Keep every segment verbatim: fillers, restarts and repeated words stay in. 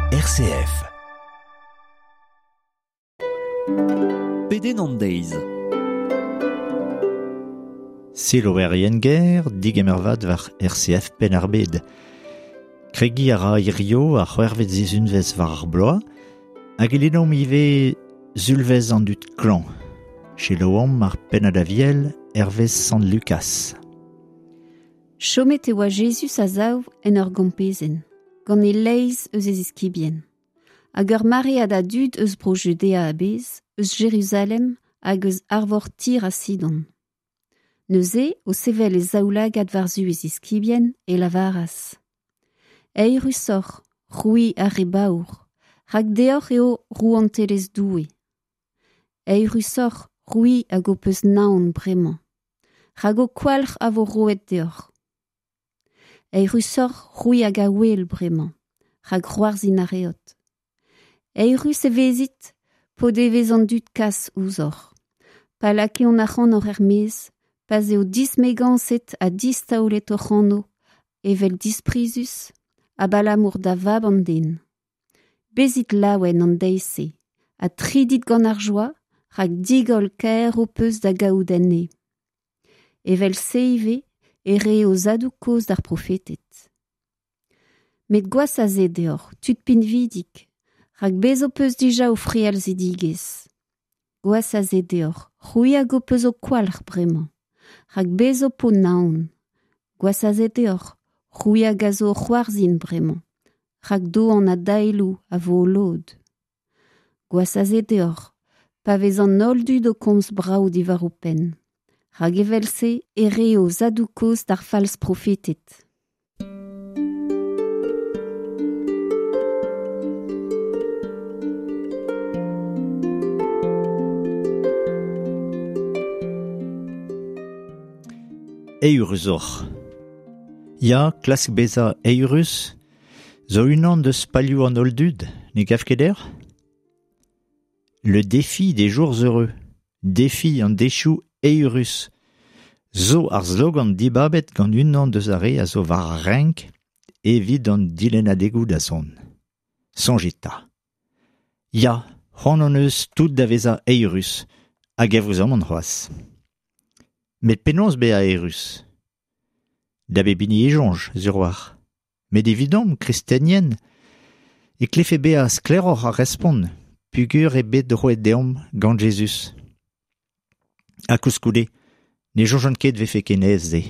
R C F. Pedenn an deiz. Selaouerien ger, digemer vat war R C F Penn-ar-Bed. Kregiñ a ra hirio ar c'hwec'hvet sizhunvezh war ar bloaz, hag e lennomp ivez Zulvezh an dud klañv. Selaouomp ar pennad aviel hervez Sant Lukas. Chomet e oa Jezuz a-sav en ur gompezenn, gant e leizh eus e ziskibien. Hag ur maread a dud eus bro Judea a-bezh, eus Jeruzalem hag eus arvor Tir ha Sidon. Neuze, o sevel e zaoulagad war-zu e ziskibien, e lavaras: Eürusoc'h, c'hwi ar re baour, rak deoc'h eo rouantelezh Doue. Eürusoc'h, c'hwi hag ho peus naon bremañ, rak ho kwalc'h a vo roet deoc'h. Eürusoc'h, c'hwi hag a ouel bremañ, rak c'hoarzhin a reot. Eürus e vezit, p'o devez an dud kas ouzhoc'h. Pa lakaont ac'hanoc'h er-maez, pa'z eo dismegañset ha distaolet hoc'h anv, evel disprizus, abalamour da vab an den. Bezit laouen an deiz-se, ha tridit gant ar joa, rak digoll kaer ho peus da gaout enne. Evel-se ivez, e re o zadoù kozh d'ar profeted. Met gwazh a se deoc'h, tud pinvidik, rak bez ho peus dija o frealzidigezh. Gwazh a se deoc'h, c'hwi hag ho peus ho kwalc'h bremañ, rak bez ho po naon. Gwazh a se deoc'h, c'hwi hag a zo o c'hoarzhin bremañ, rak doan ha daeloù a vo ho lod. Gwazh a se deoc'h, pa vez an holl dud o komz brav diwar ho penn. Rak evel-se e re o zadoù kozh d'ar fals profeted. Eürus oc'h. Ya, klask bezañ eürus, zo unan deus palioù an holl dud, ne gav ket deoc'h ? Le défi des jours heureux, défi an deizioù eürus, zo ar slogan dibabet gant unan deus ar re a zo war ar renk evit an dilennadegoù da zont. Soñjit 'ta. Ya, c'hoant hon eus tout da vezañ eürus, hag evruzamant c'hoazh. Met penaos bezañ eürus ? Da bep hini e soñj, sur a-walc'h. Met evidomp, kristenien, e klefe bezañ sklaeroc'h ar respont, peogwir eo bet roet deomp gant Jezuz. Ha koulskoude, ne soñjan ket vefe ken aes-se.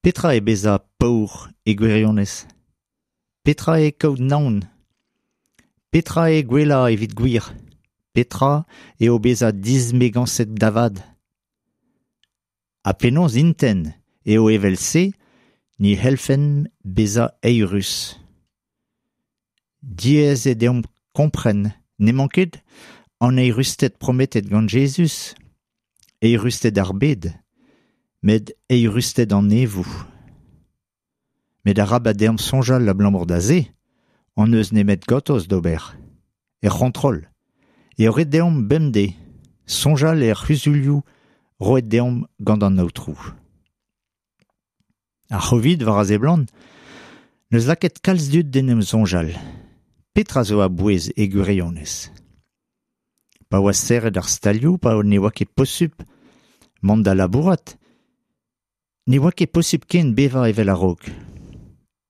Petra eo bezañ paour e gwirionez ? Petra eo kaout naon ? Petra eo gwellañ evit gwir ? Petra eo bezañ dismegañset da vat ? Ha penaos intent eo evel-se ni c'hellfen bezañ eürus. Diaes eo deomp kompren n'emañ ket an eürusted prometet gant Jezuz, eürusted ar bed, met eürusted an neñvoù. Met arabat deomp soñjal abalamour da se, hon eus nemet gortoz d'ober, er c'hontrol, eo ret deomp bemdez soñjal er c'huzulioù roet deomp gant an Aotrou. Ar C'hovid war a seblant, n'eus lakaet kalz dud d'en em soñjal. Petra zo a-bouez e gwirionez ? Pa oa serret ar stalioù, pa ne oa ket posupl mont da labourat, ne oa ket posupl ken bevañ evel a-raok.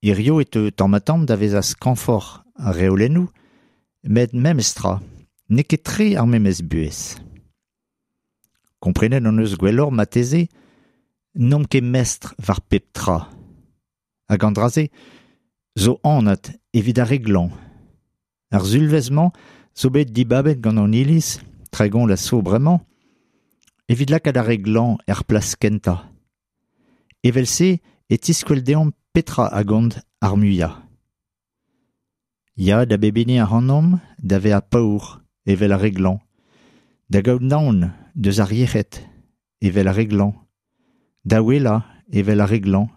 Hirio e teu tamm-ha-tamm da vezañ skañvoc'h ar reolennoù, met memes tra, n'eo ket tre ar memes buhez. Komprenet hon eus gwelloc'h marteze, n'omp ket mestr war pep tra. Hag an dra-se zo anat evit ar re glañv. Ar sulvezh-mañ zo bet dibabet gant an Iliz, tregont a zo bremañ, evit lakaat ar re glañv er plas kentañ. Evel-se e tiskwel deomp petra a gont ar muiañ. Ya da bep hini ac'hanomp da vezañ paour evel ar re glañv, da gaout naon deus ar yec'hed evel ar re glañv, da ouelañ evel ar re glañv,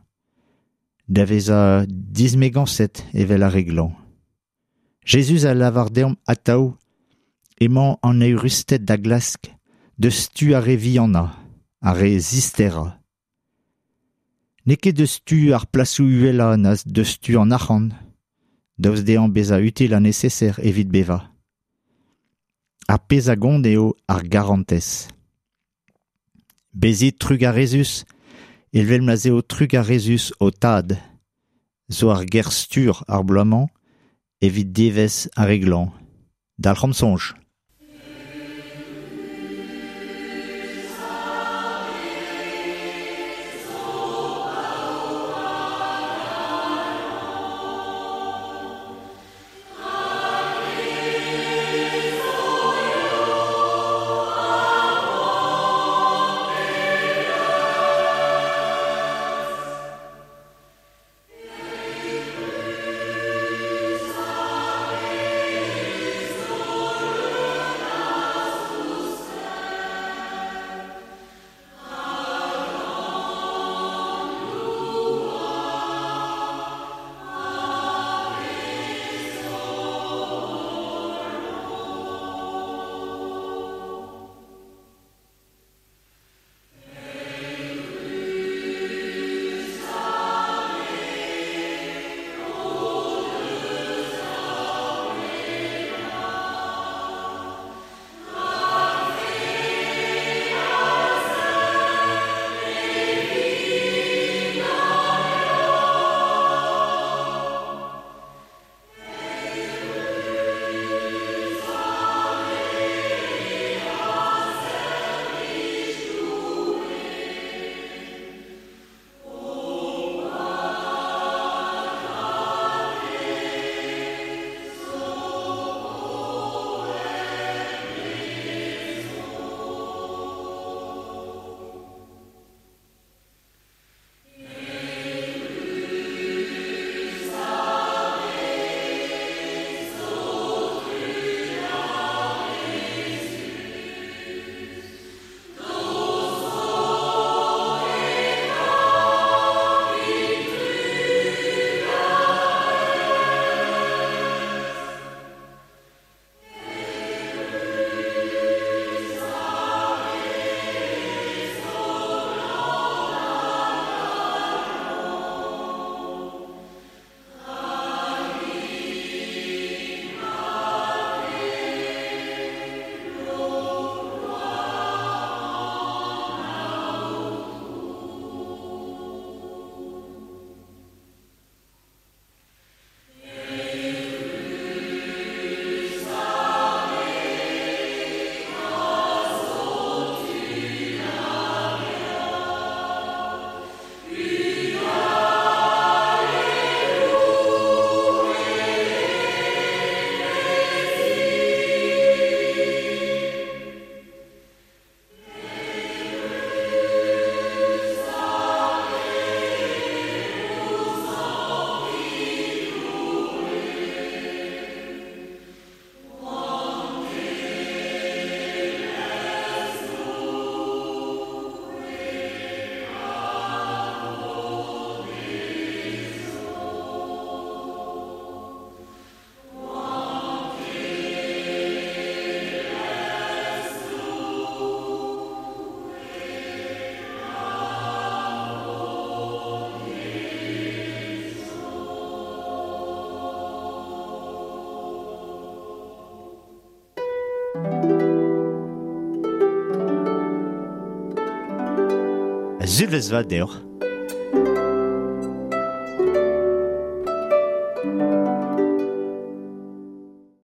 da vezañ dismegañset evel ar re glañv. Jezuz a lavar deomp atav emañ an eürusted da glask deus tu ar re vihanañ, ar re zisterañ. N'eo ket deus tu ar plasoù uhelañ na deus tu an arc'hant, Daoust dezhañ bezañ util ha neseser evit bevañ. Ar pezh a gont eo ar garantez. Bezit trugarezus, evel ma'z eo trugarezus ho tad, zo ar ger-stur ar bloaz-mañ evit devezh ar re glañv. Dalc'homp soñj. Sulvezh vat deoc'h.